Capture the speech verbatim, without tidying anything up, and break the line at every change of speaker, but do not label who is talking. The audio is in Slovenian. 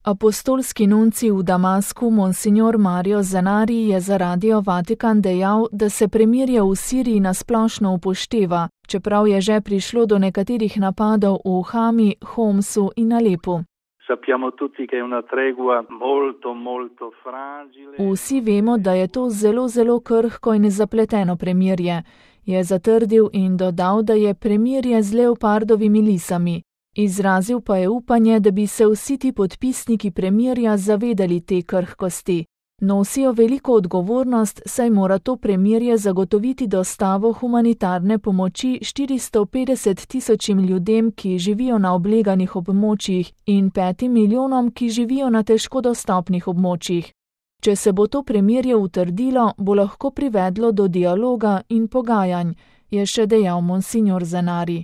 Apostolski nuncij v Damasku monsignor Mario Zenari je za Radio Vatikan dejal, da se premirje v Siriji nasplošno upošteva, čeprav je že prišlo do nekaterih napadov v Hami, Homsu in Alepu. Vsi vemo, da je to zelo, zelo krhko in zapleteno premirje, je zatrdil in dodal, da je premirje z leopardovimi lisami. Izrazil pa je upanje, da bi se vsi ti podpisniki premirja zavedali te krhkosti. Nosijo veliko odgovornost, saj mora to premirje zagotoviti dostavo humanitarne pomoči štiristo petdeset tisočim ljudem, ki živijo na obleganih območjih, in petim milijonom, ki živijo na težko dostopnih območjih. Če se bo to premirje utrdilo, bo lahko privedlo do dialoga in pogajanj, je še dejal monsignor Zenari.